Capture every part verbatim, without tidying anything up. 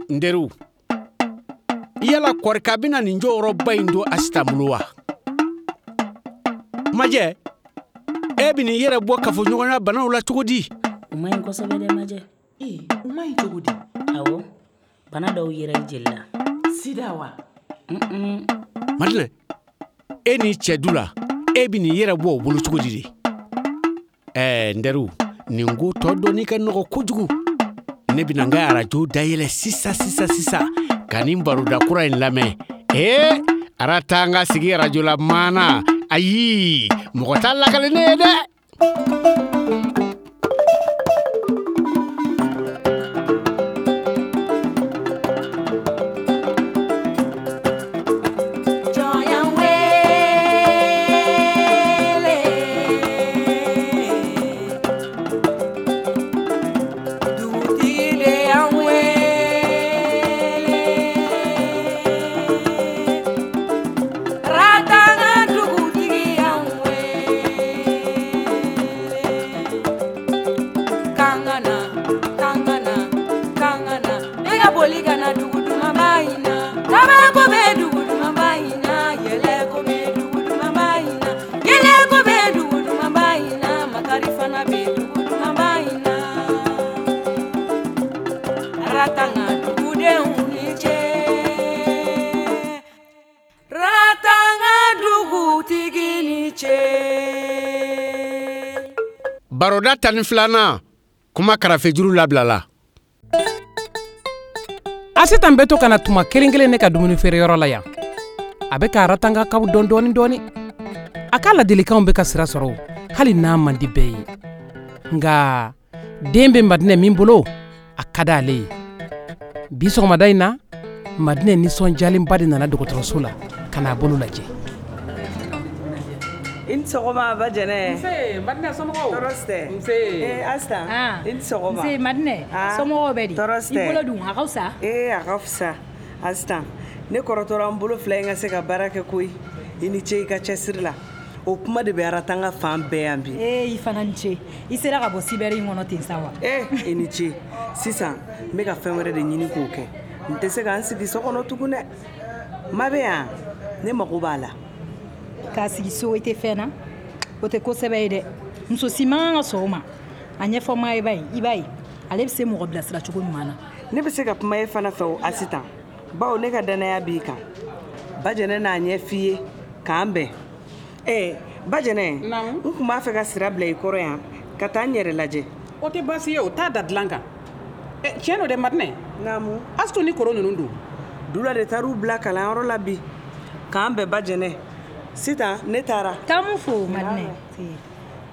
N teriw, yala kɔrika bɛna nin jɔyɔrɔba in don Asitan bolo wa? Majɛ, e bɛ n'i yɛrɛ bɔ kafoɲɔgɔnya banaw la cogo di? O man ɲi kosɛbɛ dɛ, Majɛ. Ee, o man ɲi cogo di? Awɔ, bana dɔw yera i jeli la. Sida wa? Madinɛ, e n'i cɛ du la, e bɛ n'i yɛrɛ bɔ o bolo cogo di de? Ɛɛ n teriw, nin ko tɔ dɔnni ka nɔgɔ kojugu. Ne bɛna n ka arajo dayɛlɛ sisan sisan sisan ka nin baroda kura in lamɛn. Ee, Aratanga sigi arajo la maana. Ayi, mɔgɔ t'a lakale ne ye dɛ. Baroda tan ni filanan, kuma karafejuru labilala. Asitan bɛ to ka na tuma kelen kelen ne ka dumuni feereyɔrɔ la yan. A bɛ ka Aratangakaw dɔn dɔɔni dɔɔni. A ka ladilikanw bɛ ka sira sɔrɔ, hali n'a man di bɛɛ ye. Nka den bɛ Madinɛ min bolo, a ka d'ale ye. Bi sɔgɔmada in na, Madinɛ nisɔndiyalenba de nana dɔgɔtɔrɔso la ka n'a bolo lajɛ. I ni sɔgɔma ba Jɛnɛ. Nse Madinɛ, somɔgɔw? Tɔɔrɔ si tɛ. Nse. Ee Asitan. I ni sɔgɔma. Nse Madinɛ, somɔgɔw bɛ di? Tɔɔrɔ si tɛ. I bolo dun, a ka fisa? Ee a ka fisa. Asitan, ne kɔrɔtɔra n bolo fila in ka se ka baara kɛ koyi. I ni ce i ka cɛsiri la. O kuma de bɛ Aratanga fan bɛɛ yan bi. Ee i fana ni ce. I sera ka bɔ sibɛri in kɔnɔ ten sa wa? Ee i ni ce. Sisan n bɛ ka fɛn wɛrɛ de ɲini k'o kɛ. N tɛ se ka n sigi so kɔnɔ tugun dɛ. Ma bɛ yan, ne mago b'a la. K'a sigi so i tɛ fɛn na, o tɛ kosɛbɛ ye dɛ. Muso si man kan ka sɔn o ma. A ɲɛfɔ maa ye ba ye, i b'a ye ale bɛ se mɔgɔ bilasira cogo ɲuman na. Ne bɛ se ka kuma e fana fɛ o Asitan, bawo ne ka danaya b'i kan. Ba Jɛnɛ n'a ɲɛ f'i ye k'an bɛn. Ee ba Jɛnɛ, n tun b'a fɛ ka sira bila i kɔrɔ yan ka taa n yɛrɛ lajɛ. O tɛ baasi ye, o t'a da dilan kan. Tiɲɛ don dɛ Madinɛ. Naamu. Asitu ni koro ninnu don. Dula de taar'u bila kalanyɔrɔ la bi. K'an bɛn ba Jɛnɛ. Sitan ne taara. Taa mun fo Madinɛ.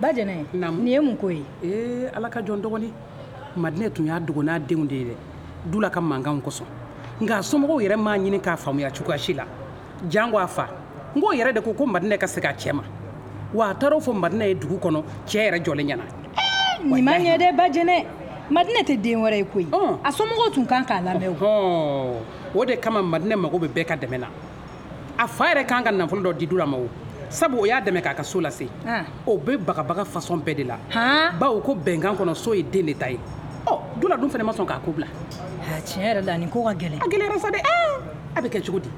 Ba Jɛnɛ, nin ye mun ko ye? Ee Ala ka jɔn dɔgɔnin. Madinɛ tun y'a dogo n'a denw de ye dɛ. Dula ka mankanw kosɔn. Nka somɔgɔw yɛrɛ m'a ɲini k'a faamuya cogoya si la. Jango a fa. N k'o yɛrɛ de ko ko Madinɛ ka segin a cɛ ma. Wa a taara o fɔ Madinɛ ye dugu kɔnɔ, cɛ yɛrɛ jɔlen ɲɛna. Nin ma ɲɛ dɛ ba Jɛnɛ. Madinɛ tɛ den wɛrɛ ye koyi. A somɔgɔw tun kan k'a lamɛn o. O de kama Madinɛ mago bɛ bɛɛ ka dɛmɛ na. A fa yɛrɛ kan ka nafolo dɔ di Dula ma o. Sabu o y'a dɛmɛ k'a ka so lase. O bɛ bagabaga fasɔn bɛɛ de la. Bawo ko bɛnkan kɔnɔ so ye den de ta ye. Ɔ Dula dun fana ma sɔn k'a ko bila. Tiɲɛ yɛrɛ la nin ko ka gɛlɛn. A gɛlɛyara sa dɛ. A bɛ kɛ cogo di?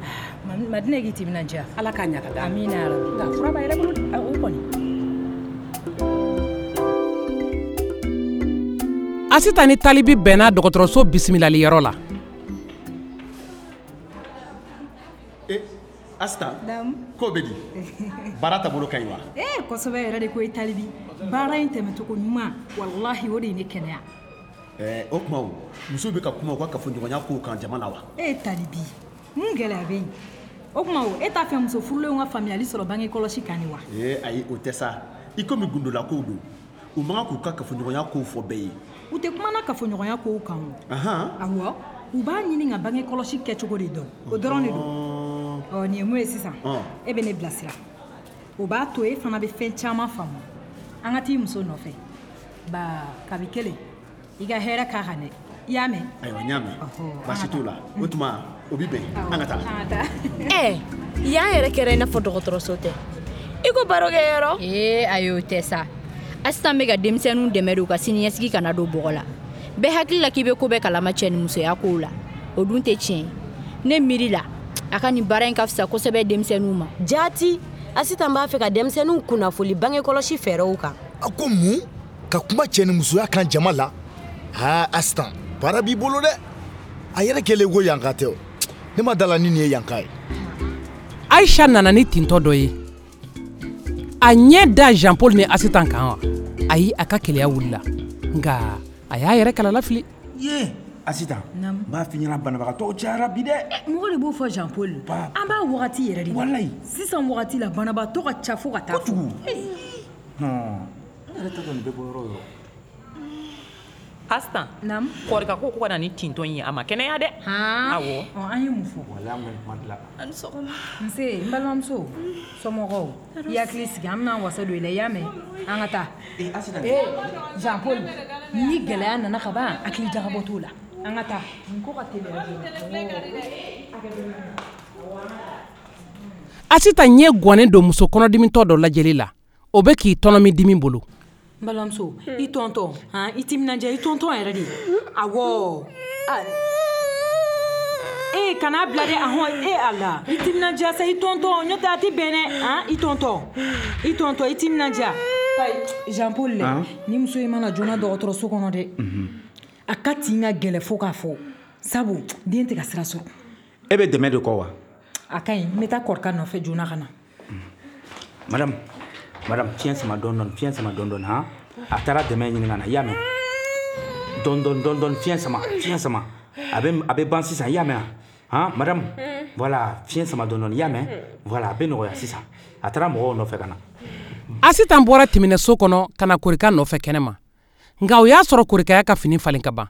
Madinɛ k'i timinandiya. Ala k'a ɲɛ ka d'a ma. Amina yarabi. Nka fura b'a yɛrɛ bolo. O kɔni. Asitan ni Talibi bɛnna dɔgɔtɔrɔso bisimilaliyɔrɔ la. Asitan, ko bɛ di? Baara taabolo ka ɲi wa? Ee kosɛbɛ yɛrɛ de koyi Talibi. Baara in tɛmɛcogo ɲuman, walahi o de ye ne kɛnɛya. Ɛɛ o tuma o, musow bɛ ka kuma u ka kafoɲɔgɔnya kow kan jama la wa? Ee Talibi, mun gɛlɛya bɛ yen? O tuma o, e t'a fɛ muso furulenw ka faamuyali sɔrɔ bange kɔlɔsi kan ni wa? Ee ayi o tɛ sa. I komi gundola kow don, u man kan k'u ka kafoɲɔgɔnya kow fɔ bɛɛ ye. U tɛ kuma na kafoɲɔgɔnya kow kan o. Ahan. Awɔ, u b'a ɲini ka bange kɔlɔsi kɛcogo de dɔn. O dɔrɔn de don. Ɔ nin ye mun ye sisan? E bɛ ne bilasira. O b'a to e fana bɛ fɛn caman faamu. An ka t'i muso nɔfɛ. Ba kabi kelen, i ka hɛrɛ k'a kan dɛ. I y'a mɛn? Ayiwa n y'a mɛn. Baasi t'o la. O tuma o bi bɛn. An ka taa. An ka taa. Ɛ yan yɛrɛ kɛra i n'a fɔ dɔgɔtɔrɔso tɛ. I ko barokɛyɔrɔ. Ee ayi o tɛ sa. Asitan bɛ ka denmisɛnninw dɛmɛ de u ka siniɲɛsigi kana don bɔgɔ la. Bɛɛ hakili la k'i bɛ ko bɛɛ kalama cɛ ni musoya kow la. O dun tɛ tiɲɛ ye. Ne miiri la, a ka nin baara in ka fisa kosɛbɛ denmisɛnninw ma. Jaati, Asitan b'a fɛ ka denmisɛnninw kunnafoli bange kɔlɔsi fɛɛrɛw kan. A ko mun? Ka kuma cɛ ni musoya kan jama la? Aa Asitan, baara b'i bolo dɛ. A yɛrɛ kɛlen ko yanka tɛ o. Ne ma da la ni nin ye yanka ye. Aisha nana ni tintɔ dɔ ye. A ɲɛ da Jean Paul ni Asitan kan wa? Ayi, a ka keleya wulila. Nka a y'a yɛrɛ kalala fili. Ye Asitan, n b'a f'i ɲɛna banabagatɔw cayara bi dɛ. Mɔgɔ de b'o fɔ Jean Paul. An b'a wagati yɛrɛ de la. Walayi. Sisan wagati la banabagatɔ ka ca fo ka taa. Kojugu. Hɔn. Ne yɛrɛ t'a dɔn nin bɛ bɔ yɔrɔ o yɔrɔ. Asitan, naamu. Kɔrika ko ko ka na ni tintɔ in ye, a ma kɛnɛya dɛ. Awɔ. Ɔ, an ye mun fɔ? Walayi an kɔni kuma dilan. A ni sɔgɔma. Nse, n balimamuso, somɔgɔw, i hakili sigi, an bɛna wasa don i la, i y'a mɛn? An ka taa. Ee Asitan. Ee Jean Paul, ni gɛlɛya nana ka ban, hakili jagabɔ t'o la. An ka taa. Nin ko ka teliya joona. Asitan ɲɛ gwannen don muso kɔnɔdimitɔ dɔ lajɛli la. O bɛ k'i tɔnɔmi dimi bolo. N balimamuso, i tɔntɔn, han, i timinandiya, i tɔntɔn yɛrɛ de. Awɔ. Ee kana bila dɛ, ahɔn, e Ala. I timinandiya sa, i tɔntɔn, n'o tɛ a tɛ bɛn dɛ, han, i tɔntɔn. I tɔntɔn, i timinandiya. Jean Paul lɛ, ni muso in mana joona dɔgɔtɔrɔso kɔnɔ dɛ. A ka tin ka gɛlɛ fo k'a fɔ. Sabu den tɛ ka sira sɔrɔ. E bɛ dɛmɛ de kɔ wa? A ka ɲi, n bɛ taa Kɔrika nɔfɛ joona ka na. Madame, madame, fiɲɛ sama dɔɔni dɔɔni, fiɲɛ sama dɔɔni dɔɔni, han. A taara dɛmɛ ɲini ka na, i y'a mɛn? Dɔɔni dɔɔni dɔɔni dɔɔni, fiɲɛ sama, fiɲɛ sama. A bɛ a bɛ ban sisan, i y'a mɛn wa? Han, madame, voilà, fiɲɛ sama dɔɔni dɔɔni, i y'a mɛn? Voilà, a bɛ nɔgɔya sisan. A taara mɔgɔw nɔfɛ ka na. Asitan bɔra tɛmɛnɛso kɔnɔ ka na Korika nɔfɛ kɛnɛ ma. Nka o y'a sɔrɔ Korika y'a ka fini falen ka ban.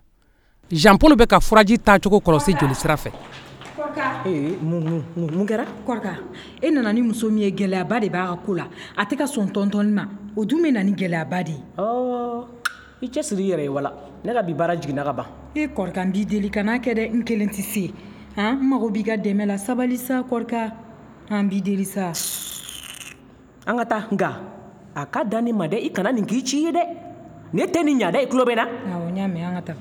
Jean Paul bɛ ka furaji taacogo kɔlɔsi joli sira fɛ. Ee, mun mun mun kɛra? Kɔrika, e nana ni muso min ye, gɛlɛyaba de b'a ka ko la. A tɛ ka sɔn tɔntɔnni ma. O dun bɛ na ni gɛlɛyaba de ye. Ɔɔ, i cɛsiri i yɛrɛ ye wala. Ne ka bi baara jiginna ka ban. E Kɔrika, n b'i deli kan'a kɛ dɛ, n kelen tɛ se. Han, n mago b'i ka dɛmɛ la, sabali sa Kɔrika. An b'i deli sa. An ka taa, nka a ka dan ne ma dɛ, i kana nin k'i ci ye dɛ. Ne tɛ nin ɲa dɛ, i tulo bɛ n na? Awɔ, n y'a mɛn, an ka taa.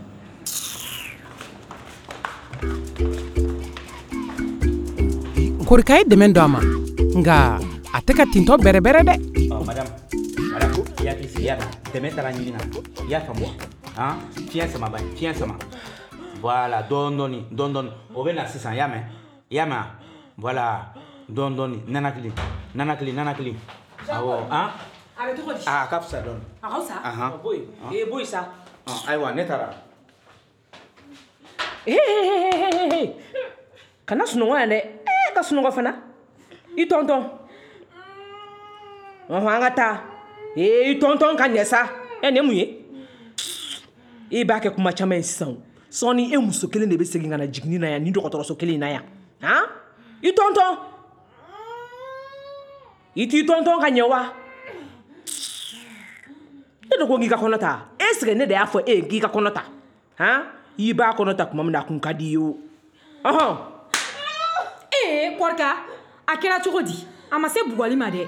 Korika ye dɛmɛ don a ma, nka a tɛ ka tintɔ bɛrɛbɛrɛ dɛ. Ɔ madame, madame, i hakili sigi, i y'a mɛn? Dɛmɛ taara ɲini na, i y'a faamu wa? Han, fiɲɛ sama ba, fiɲɛ sama. Voilà, dɔɔni dɔɔni, dɔɔni dɔɔni. O bɛ na sisan, i y'a mɛn? I y'a mɛn wa? Voilà, dɔɔni dɔɔni, nanakili, nanakili, nanakili. Awɔ, han? A bɛ cogo di? A ka fisa dɔɔni. A ka fisa? Ahan. Boyi, ee boyi sa. Ayiwa, ne taara. Ee, ee, kana sunɔgɔ yan dɛ. Ee, ka sunɔgɔ fana. I tɔntɔn. Ɔhɔn, an ka taa. Ee, i tɔntɔn ka ɲɛ sa. Ɛ, nin ye mun ye? E b'a kɛ kuma caman ye sisan o. Sɔɔni e muso kelen de bɛ segin ka na jiginni na yan, nin dɔgɔtɔrɔso kelen in na yan. Han? I tɔntɔn. I t'i tɔntɔn ka ɲɛ wa? Ne de ko k'i ka kɔnɔ ta. Est ce que ne de y'a fɔ e ye k'i ka kɔnɔ ta? Han? I b'a kɔnɔ ta tuma min na, a kun ka di i ye o. Ɔhɔn. Ee Kɔrika, a kɛra cogo di? A ma se bugɔli ma dɛ.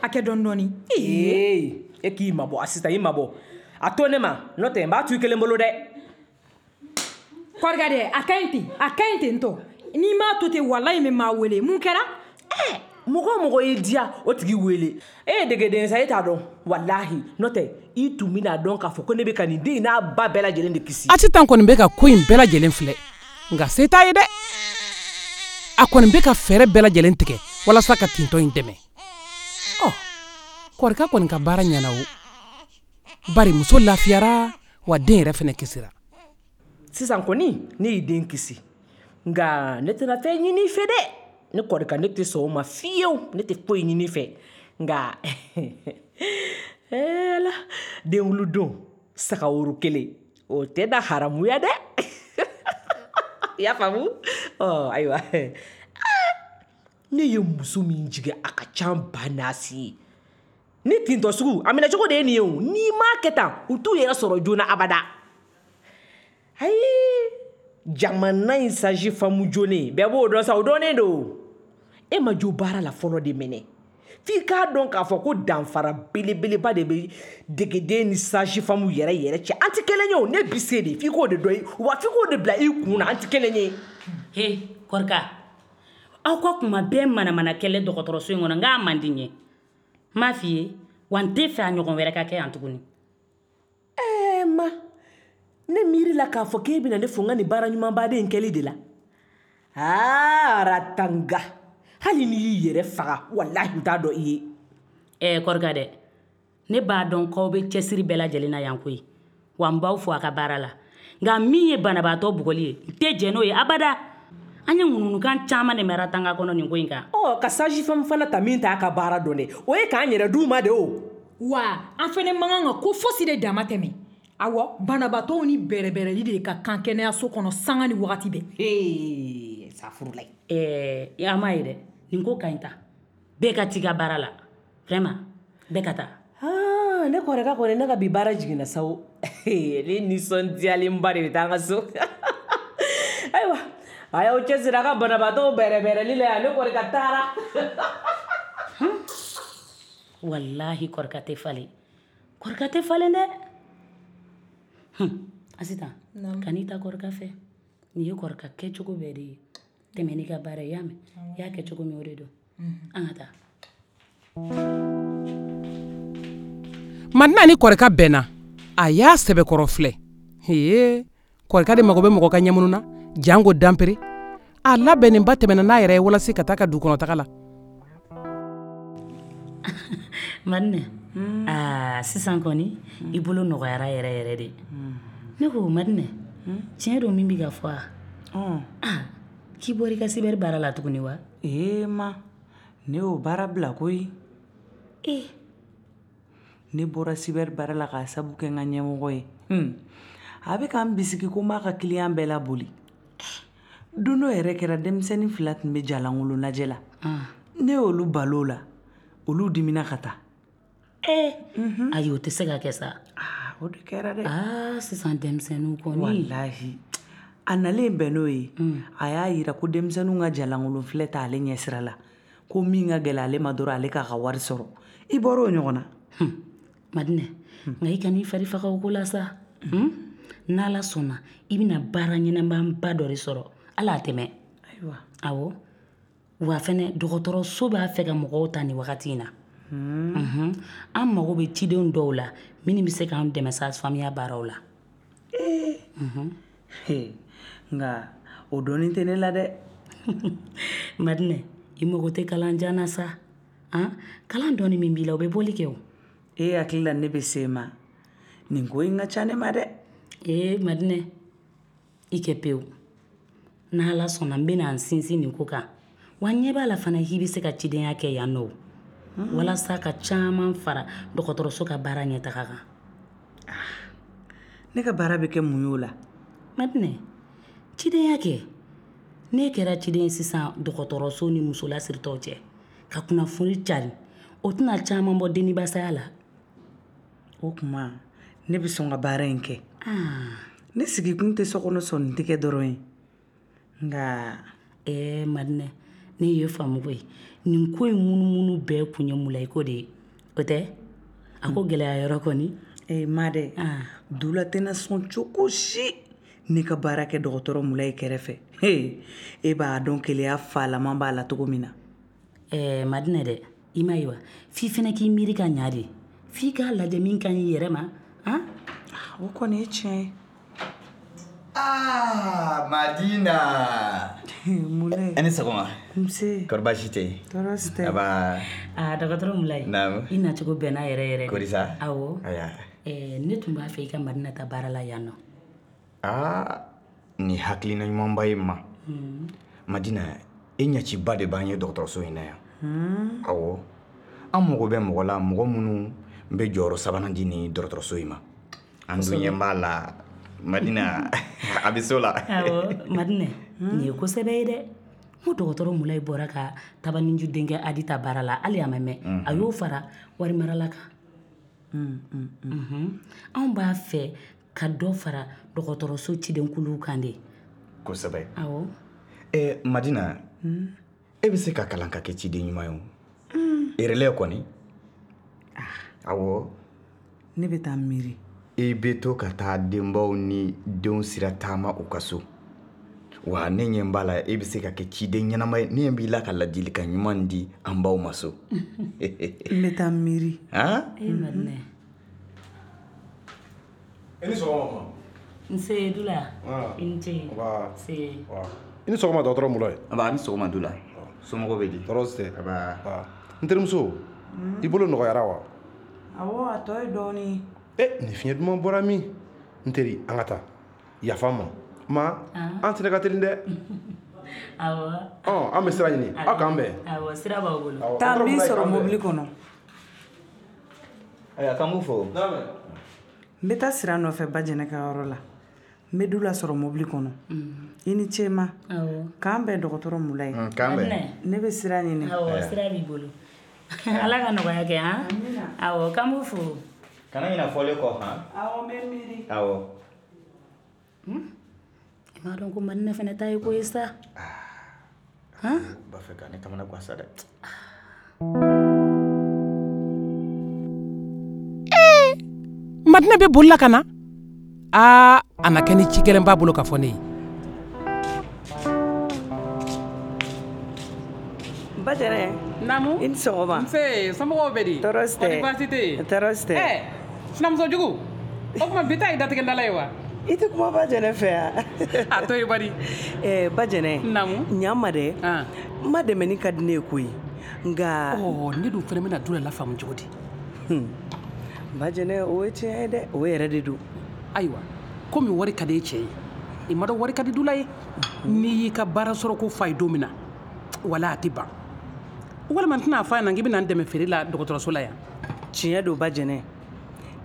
A kɛ dɔɔni dɔɔni. Ee, e k'i mabɔ Asitan, i mabɔ. A to ne ma, n'o tɛ n b'a to i kelen bolo dɛ. Kɔrika dɛ, a ka ɲi ten, a ka ɲi ten tɔ. N'i m'a to ten, walayi n bɛ maa wele. Mun kɛra? Ɛɛ, mɔgɔ o mɔgɔ y'i diya, o tigi wele. E ye degeden sa, e t'a dɔn. Walahi, n'o tɛ i tun bɛna dɔn k'a fɔ ko ne bɛ ka nin den in n'a ba bɛɛ lajɛlen de kisi. Asitan kɔni bɛ ka ko in bɛɛ lajɛlen filɛ, nka se t'a ye dɛ. A kɔni bɛ ka fɛɛrɛ bɛɛ lajɛlen tigɛ walasa ka tintɔ in dɛmɛ. Ɔ, Kɔrika kɔni ka baara ɲɛna o. Bari muso lafiyara, wa den yɛrɛ fɛnɛ kisira. Sisan kɔni, ne y'i den kisi. Nka ne tɛna fɛn ɲini i fɛ dɛ. Ne Kɔrika, ne tɛ sɔn o ma fiyewu. Ne tɛ foyi ɲini i fɛ. Nka ee Ala, denwuludon saga woro kelen, o tɛ da haramuya dɛ. I y'a faamu? Ɔ ayiwa. Ne ye muso min jigin, a ka ca ba naasi ye. Ni tintɔ sugu, a minɛ cogo de ye nin ye o. N'i m'a kɛ tan, u t'u yɛrɛ sɔrɔ joona abada. Ayi, jamana in saji faamu joona, bɛɛ b'o dɔn sa, o dɔnnen don. E ma jo baara la fɔlɔ de minɛ. F'i k'a dɔn k'a fɔ ko danfara belebeleba de bɛ degeden ni sage-femme yɛrɛ yɛrɛ cɛ. An tɛ kelen ye o, ne bi se de, f'i k'o de dɔn, wa f'i k'o de bila i kun na, an tɛ kelen ye. He, Kɔrika, aw ka kuma bɛɛ manamana kɛlɛ dɔgɔtɔrɔso in kɔnɔ, n k'a man di n ye. N m'a f'i ye, wa n tɛ fɛ a ɲɔgɔn wɛrɛ ka kɛ yan tuguni. Ɛɛ ma, ne miiri la k'a fɔ k'e bɛna ne fo n ka nin baara ɲumanbaden in kɛli de la. Aa, Ratanga, hali n'i y'i yɛrɛ faga, walahi n t'a dɔn i ye. Ɛɛ Kɔrika dɛ, ne b'a dɔn k'aw bɛ cɛsiri bɛɛ lajɛlen na yan koyi, wa n b'aw fo a ka baara la. Nka min ye banabaatɔ bugɔli ye, n tɛ jɛn n'o ye abada. An ye ŋunuŋunukan caman de mɛn Ratanga kɔnɔ nin ko in kan. Ɔ, ka sage-femme fana ta min t'a ka baara dɔn dɛ, o ye k'an yɛrɛ d'u ma de o. Wa an fɛnɛ man kan ka ko fosi de dama tɛmɛ. Awɔ, banabaatɔw ni bɛrɛbɛrɛli de ka kan kɛnɛyaso kɔnɔ sanga ni wagati bɛɛ. Ee, safurulayi. Ɛɛ, an m'a ye dɛ, nin ko ka ɲi ta. Bɛɛ ka t'i ka baara la. Vraiment, bɛɛ ka taa. Aa, ne kɔrɔkɛ kɔni, ne ka bi baara jiginna sa o. Ne nisɔndiyalenba de bɛ taa an ka so. Ayiwa, a y'aw cɛsiri a ka banabaatɔw bɛrɛbɛrɛli la yan, ne kɔrɔkɛ taara. Walahi Kɔrika tɛ falen. Kɔrika tɛ falen dɛ. Asitan, kan'i ta Kɔrika fɛ. Nin ye Kɔrika kɛcogo bɛɛ de ye. Tɛmɛ n'i ka baara ye, y'a mɛn? I y'a kɛ cogo min o de don. An ka taa. Madina ni Kɔrika bɛnna, a y'a sɛbɛkɔrɔ filɛ. Hee, Kɔrika de mago bɛ mɔgɔ ka ɲɛmunu na, jango danpere. A labɛnnenba tɛmɛna n'a yɛrɛ ye walasa ka taa ka du kɔnɔ taga la. Madina, aa sisan kɔni i bolo nɔgɔyara yɛrɛ yɛrɛ de. Ne ko Madina, tiɲɛ don min bɛ ka fɔ a? Aa, k'i bɔra i ka sibɛri baara la tuguni wa? Ee ma, ne y'o baara bila koyi. Ee. Ne bɔra sibɛri baara la k'a sabu kɛ n ka ɲɛmɔgɔ ye. A bɛ k'an bisigi ko n b'a ka kiliyan bɛɛ laboli. Don dɔ yɛrɛ kɛra denmisɛnnin fila tun bɛ jalankolon lajɛ la. Ne y'olu balo la, olu dimina ka taa. Ee, ayi o tɛ se ka kɛ sa. Aa, o de kɛra dɛ. Aa, sisan denmisɛnninw kɔni. Walahi, a nalen bɛn n'o ye, a y'a yira ko denmisɛnninw ka jalankolon filɛ t'ale ɲɛsira la. Ko min ka gɛlɛn ale ma dɔrɔn ale k'a ka wari sɔrɔ. I bɔra o ɲɔgɔn na. Madinɛ, nka i kan'i fari faga o ko la sa. N'Ala sɔnna, i bɛna baara ɲɛnamaba dɔ de sɔrɔ. Ala a tɛmɛ. Ayiwa. Awɔ. Wa fɛnɛ dɔgɔtɔrɔso b'a fɛ ka mɔgɔw ta nin wagati in na. An mago bɛ cidenw dɔw la minnu bɛ se k'an dɛmɛ sage-femme baaraw la. Ee. Nka o dɔnni tɛ ne la dɛ. Madinɛ, i mago tɛ kalan jan na sa. Han, kalan dɔɔni min b'i la o bɛ bɔli kɛ o. E hakili la ne bɛ se ma. Nin ko in ka ca ne ma dɛ. Ee Madinɛ, i kɛ pewu. N'Ala sɔnna n bɛna n sinsin nin ko kan. Wa n ɲɛ b'a la fana k'i bɛ se ka cidenya kɛ yan nɔ. Walasa ka caman fara dɔgɔtɔrɔso ka baara ɲɛtaga kan. Ne ka baara bɛ kɛ mun ye o la? Madinɛ, cidenya kɛ. Ne kɛra ciden ye sisan dɔgɔtɔrɔso ni muso lasiritɔw cɛ. Ka kunnafoni cari. O tɛna caman bɔ denibasaya la. O tuma, ne bɛ sɔn ka baara in kɛ. Ne sigikun tɛ so kɔnɔ sɔnni tigɛ dɔrɔn ye. Nka. Ɛɛ Madinɛ, ne ye faamu koyi. Nin ko in munumunu bɛɛ kun ye Mulayi ko de ye. O tɛ? A ko gɛlɛya yɔrɔ kɔni. Ee ma dɛ, Dula tɛna sɔn cogo si ne ka baara kɛ dɔgɔtɔrɔ Mulayi kɛrɛfɛ. He, e b'a dɔn keleya falaman b'a la cogo min na. Ɛɛ Madinɛ dɛ, i m'a ye wa? F'i fɛnɛ k'i miiri ka ɲa de. F'i k'a lajɛ min ka ɲi i yɛrɛ ma. Han? O kɔni ye tiɲɛ ye. Ah, Madina. Mulayi. E ni sɔgɔma. Nse. Kɔri baasi tɛ yen? Tɔɔrɔ si tɛ. Aba. Aa, dɔgɔtɔrɔ Mulayi. Naamu. I nacogo bɛnna yɛrɛ yɛrɛ de. Kori sa? Awɔ. Aya. Ɛɛ, ne tun b'a fɛ i ka Madina ta baara la yan nɔ. Aa, nin hakilina ɲumanba ye ma. Madina, e ɲɛciba de b'an ye dɔgɔtɔrɔso in na yan. Awɔ. An mago bɛ mɔgɔ la, mɔgɔ minnu bɛ jɔyɔrɔ sabanan di nin dɔgɔtɔrɔso in ma. An dun ɲɛ b'a la. Madina, a bɛ so la. Awɔ, Madina, nin ye ko sɛbɛ ye dɛ. N ko dɔgɔtɔrɔ Mulayi bɔra ka Tabaniju denkɛ Adi ta baara la, hali a ma mɛn. A y'o fara warimarala kan. Anw b'a fɛ ka dɔ fara dɔgɔtɔrɔso cidenkuluw kan de. Kosɛbɛ. Awɔ. Ɛ Madina, e bɛ se ka kalan ka kɛ ciden ɲuman ye o. Relais kɔni. Awɔ. Ne bɛ taa miiri. I bɛ to ka taa denbaw ni denw sira taama u ka so. Wa ne ɲɛ b'a la e bɛ se ka kɛ ciden ɲɛnama ye ne ɲɛ b'i la ka ladilikan ɲuman di an baw ma so. N bɛ taa miiri. Han? E Madinɛ. I ni sɔgɔma ma. Nse Dula. I ni ce. Nba. Se. I ni sɔgɔma dɔgɔtɔrɔ Mulayi. Nba a ni sɔgɔma Dula. Somɔgɔw bɛ di? Tɔɔrɔ si tɛ. Nba. N terimuso, i bolo nɔgɔyara wa? Awɔ, a tɔ ye dɔɔnin. E nin fiɲɛ duman bɔra min? N teri, an ka taa. Yafa n ma. Ma, an sera ka teli dɛ. Awɔ. Ɔ, an bɛ sira ɲini. Aw k'an bɛn. Awɔ, sira b'aw bolo. Taa n b'i sɔrɔ mobili kɔnɔ. Ayiwa, k'an b'u fo. N bɛ taa sira nɔfɛ Bajɛnɛ ka yɔrɔ la. N bɛ Dula sɔrɔ mobili kɔnɔ. I ni ce ma. K'an bɛn dɔgɔtɔrɔ Mulayi. K'an bɛn. Ne bɛ sira ɲini. Awɔ, sira b'i bolo. Ala ka nɔgɔya kɛ han. Awɔ, k'an b'u fo. Kana ɲinɛ fɔlen kɔ han. Awɔ, n bɛ miiri. Awɔ. I m'a dɔn ko Madinɛ fana ta ye ko ye sa. Han? B'a fɛ ka ne kamana gan sa dɛ. Ee! Madinɛ bɛ boli la ka na. Aa, a na kɛ ni ci gɛlɛn b'a bolo ka fɔ ne ye. Bajɛnɛ. Naamu. I ni sɔgɔma. Nse, somɔgɔw bɛ di? Tɔɔrɔ si tɛ. Kɔni baasi tɛ yen? Tɔɔrɔ si tɛ. Ɛ, sinamuso jugu, o tuma bi ta ye datigɛndala ye wa? I tɛ kuma Bajɛnɛ fɛ yan. A to yen bari. Ɛɛ Bajɛnɛ. Naamu. Ɲa n ma dɛ. N ma dɛmɛni ka di ne ye koyi. Nka. Ɔ, ne dun fana bɛna Dula lafaamu cogo di? Bajɛnɛ, o ye tiɲɛ ye dɛ. O yɛrɛ de don. Ayiwa, komi wari ka di e cɛ ye, i ma dɔn wari ka di Dula ye. N'i y'i ka baara sɔrɔ ko f'a ye don min na, wala a tɛ ban. Walima n tɛna f'a ɲɛna k'i bɛna n dɛmɛ feere la dɔgɔtɔrɔso la yan. Tiɲɛ don Bajɛnɛ.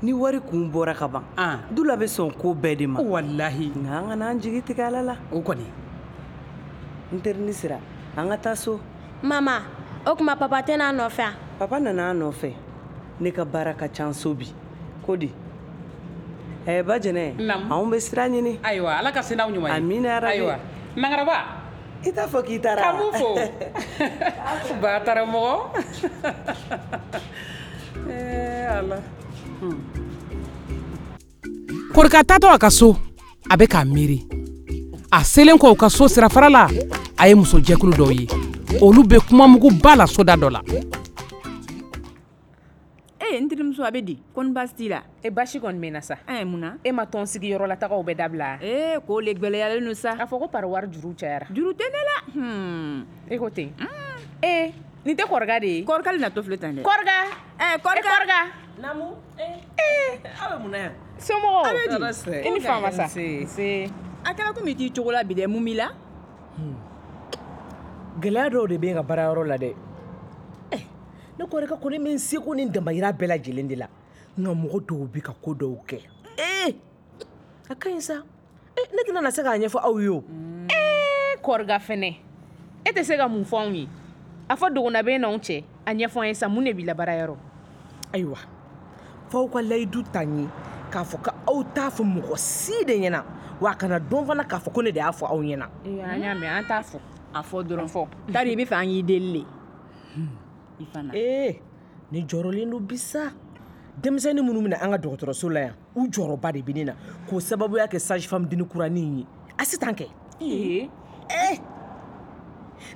Ni wari kun bɔra ka ban, Dula bɛ sɔn ko bɛɛ de ma. Walahi. Nka an kana an jigi tigɛ Ala la. O kɔni. N terinin Sira, an ka taa so. Mama, o tuma papa tɛ n'a nɔfɛ wa? Papa nana an nɔfɛ. Ne ka baara ka ca so bi. Ko di? Ɛɛ Bajɛnɛ, anw bɛ sira ɲini. Ayiwa, Ala ka se n'aw ɲuman ye. Amina yarabi. Ayiwa, Nangaraba. I t'a fɔ k'i taara. K'an b'u fo. Ba taara mɔgɔ. Ɛɛ Ala. Korika taatɔ a ka so, a bɛ k'a miiri. A selen kɔ u ka so sirafara la, a ye musojɛkulu dɔw ye. Olu bɛ kumamuguba la soda dɔ la. Ee n terimuso a bɛ di? Kɔni baasi t'i la? E baasi kɔni bɛ n na sa. Ɛɛ mun na? E ma tɔn sigiyɔrɔ la tagaw bɛɛ dabila. Ee k'o le gɛlɛyalen don sa. A fɔ ko pari wari juru cayara. Juru tɛ ne la. Hmm. E ko ten. Ee nin tɛ Kɔrika de ye? Kɔrika le natɔ filɛ tan dɛ. Kɔrika. Ɛɛ Kɔrika. Kɔrika. Naamu. Ee aw bɛ mun na yan? Somɔgɔw. A bɛ di? I ni faama sa. Nse. A kɛra komi i t'i cogo la bi dɛ, mun b'i la? Gɛlɛya dɔw de bɛ n ka baarayɔrɔ la dɛ. Ne Kɔrika kɔni bɛ n seko ni damayira bɛɛ lajɛlen de la, nka mɔgɔ dɔw bɛ ka ko dɔw kɛ. Ee a ka ɲi sa. Ee ne tɛna na se k'a ɲɛfɔ aw ye o. Ee Kɔrika fɛnɛ, e tɛ se ka mun fɔ anw ye? A fɔ dogona bɛ n'anw cɛ, a ɲɛfɔ an ye sa, mun de b'i la baarayɔrɔ? Ayiwa, f'aw ka layidu ta n ye k'a fɔ k'aw t'a fɔ mɔgɔ si de ɲɛna, wa a kana dɔn fana k'a fɔ ko ne de y'a fɔ aw ɲɛna. Ee an y'a mɛn, an t'a fɔ. A fɔ dɔrɔn. Fɔ. Tari i bɛ fɛ an k'i deli le. Ee ne jɔrɔlen don bi sa. Denmisɛnnin minnu bɛna an ka dɔgɔtɔrɔso la yan, u jɔyɔrɔba de bɛ ne na k'o sababuya kɛ sage femme denni kuranin ye. Asitan kɛ. Ee. Ee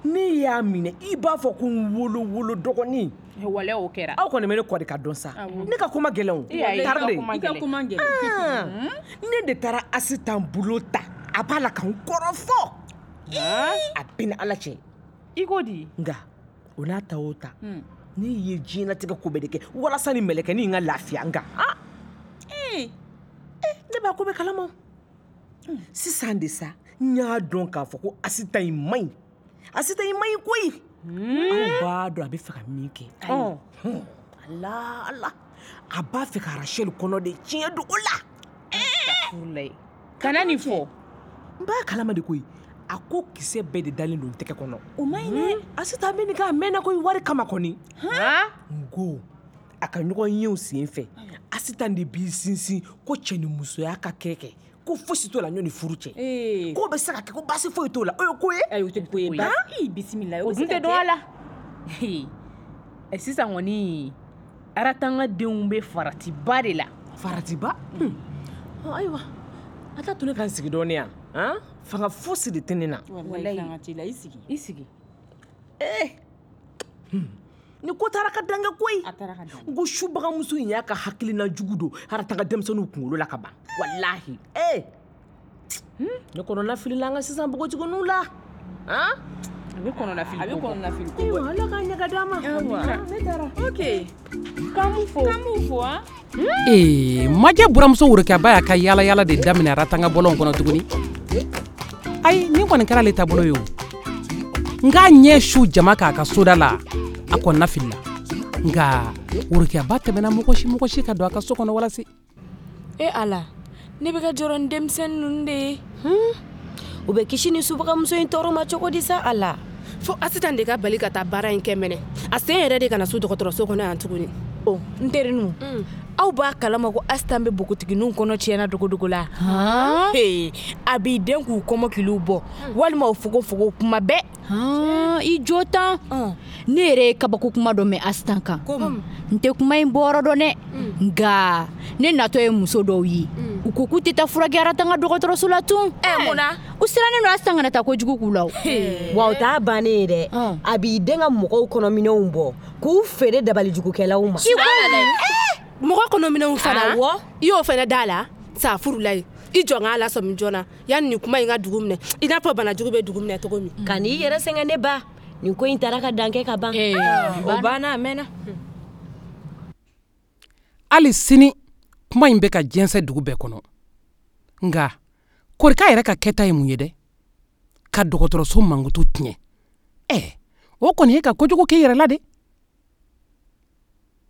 ne y'a minɛ i b'a fɔ ko n wolo wolo dɔgɔnin. Wale o kɛra. Aw kɔni bɛ ne Kɔrika dɔn sa. Ne ka ko ma gɛlɛn o. I ka ko ma gɛlɛn. Ne de taara Asitan bolo ta, a b'a la ka n kɔrɔfɔ. A bɛ ni Ala cɛ. I ko di? Nka o n'a ta o ta, ne ye diɲɛlatigɛ ko bɛɛ de kɛ walasa ni mɛlɛkɛnin in ka lafiya n kan. Ee ne b'a ko bɛɛ kalama. Sisan de sa, n y'a dɔn k'a fɔ ko Asitan in man ɲi. Asitan in man ɲi koyi. Aw b'a dɔn a bɛ fɛ ka min kɛ. Ala Ala, a b'a fɛ ka Rachel kɔnɔ de tiɲɛ don o la. Kana nin fɔ. N b'a kalama de koyi. A ko kisɛ bɛɛ de dalen don tɛgɛ kɔnɔ. O ma ɲi dɛ. Asitan bɛ nin kɛ a mɛnna koyi wari kama kɔni. N ko a ka ɲɔgɔn yew sen fɛ, Asitan de b'i sinsin ko cɛ ni musoya ka kɛ kɛ. Ko fosi t'o la ɲɔni furu cɛ. K'o bɛ se ka kɛ ko baasi foyi t'o la. O ye ko ye? Ayi o tɛ ko ye. Ii bisimila. O dun tɛ dɔn a la. Ɛ sisan kɔni Aratanga denw bɛ faratiba de la. Faratiba? Ayiwa, a t'a to ne ka n sigi dɔɔnin yan. Han? Fanga fosi de tɛ ne na. Walayi fanga t'i la, i sigi. I sigi. Eh! Ni ko taara ka dan kɛ koyi. A taara ka dan. N ko subagamuso in y'a ka hakilina jugu don Aratanga denmisɛnninw kunkolo la ka ban. Walahi. Eh! Ne kɔnɔna filila an ka sisan npogotigininw la. Han? A bɛ kɔnɔna fili. A bɛ kɔnɔna fili ko. Ayiwa, Ala k'a ɲɛ ka d'an ma. Ne taara. Ok. K'an b'u fo. K'an b'u fo han. Ee, Majɛ buramuso Worokiyaba y'a ka yaala yaala de daminɛ Aratanga bɔlɔn kɔnɔ tuguni. Ayi, nin kɔni kɛra ale taabolo ye o. N k'a ɲɛ su jama k'a ka soda la, a kɔnɔna filila. Nka Worokiyaba tɛmɛna mɔgɔ si mɔgɔ si ka don a ka so kɔnɔ walasi. E Ala, ne bɛ ka jɔrɔ ni denmisɛnnin ninnu de ye. U bɛ kisi ni subagamuso in tɔɔrɔ ma cogo di sa Ala? Fo Asitan de ka bali ka taa baara in kɛ mɛnɛ. A sen yɛrɛ de kana su dɔgɔtɔrɔso kɔnɔ yan tuguni. O n terinu, aw b'a kalama ko Asitan bɛ npogotigininw kɔnɔ tiɲɛna dogodogo la. Ee, a b'i den k'u kɔmɔkiliw bɔ walima u fogofogo kuma bɛɛ. I jo tan. Ne yɛrɛ ye kabako kuma dɔ mɛn Asitan kan. N tɛ kuma in bɔyɔrɔ dɔn dɛ. Nka ne natɔ ye muso dɔw ye. U ko k'u tɛ taa furakɛ Aratanga dɔgɔtɔrɔso la tun. Ɛ mun na? U sirannen don Asitan kana taa kojugu k'u la o. Wa o t'a bannen ye dɛ. A b'i den ka mɔgɔw kɔnɔminɛnw bɔ k'u feere dabalijugukɛlaw ma. Mɔgɔ kɔnɔminɛnw fana. Awɔ. I y'o fana da la sa furula ye. I jɔ n k'a lasɔmi joona yanni nin kuma in ka dugu minɛ i n'a fɔ banajugu bɛ dugu minɛ cogo min. Ka n'i yɛrɛ sɛgɛn ne ba. Nin ko in taara ka dan kɛ ka ban. O banna a mɛnna. Hali sini kuma in bɛ ka jɛnsɛn dugu bɛɛ kɔnɔ. Nka Korika yɛrɛ ka kɛta ye mun ye dɛ? Ka dɔgɔtɔrɔso mankutu tiɲɛ. Ɛ, o kɔni ye ka kojugu k'i yɛrɛ la de.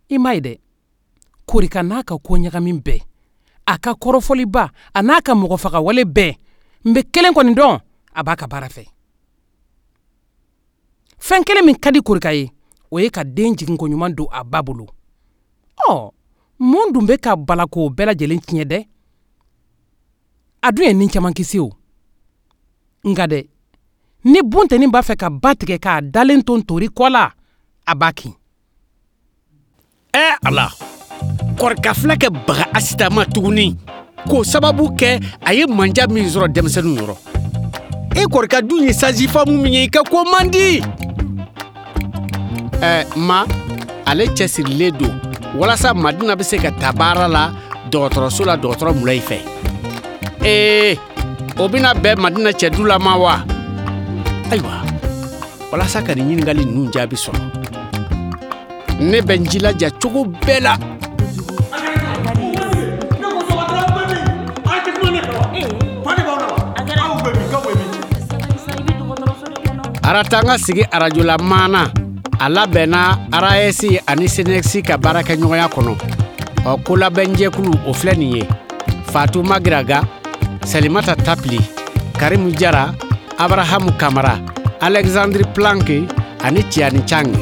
I m'a ye dɛ, Korika n'a ka ko ɲagami bɛɛ, a ka kɔrɔfɔliba, a n'a ka mɔgɔfagawale bɛɛ, n bɛ kelen kɔni dɔn, a b'a ka baara fɛ. Fɛn kelen min ka di Korika ye, o ye ka den jiginko ɲuman don a ba bolo. Ɔ, mun dun bɛ ka bala k'o bɛɛ lajɛlen tiɲɛ dɛ? A dun ye nin caman kisi o. Nka dɛ, ni buntɛni b'a fɛ ka ba tigɛ k'a dalen to ntori kɔ la, a b'a kin. Ɛ Ala, Korika filɛ kɛ baga Asitan ma tuguni k'o sababu kɛ a ye manja min sɔrɔ denmisɛnninw yɔrɔ. E Korika dun ye sajifamu min ye, i ka ko man di. Ɛ ma, ale cɛsirilen don walasa Madina bɛ se ka taa baara la dɔgɔtɔrɔso la dɔgɔtɔrɔ Mulayi fɛ. Ee, o bɛna bɛn Madina cɛdu la ma wa? Ayiwa, walasa ka nin ɲininkali ninnu jaabi sɔrɔ, ne bɛ n jilaja cogo bɛɛ la. Aratanga sigi arajola maana a labɛnna A R A S ani C N S ka baarakɛɲɔgɔnya kɔnɔ. Ɔ kolabɛnjɛkulu o filɛ nin ye: Fatou Magiraga, Salimata Tapili, Karimu Jara, Abrahamu Kamara, Alexandre Planck ani Tiani Chang.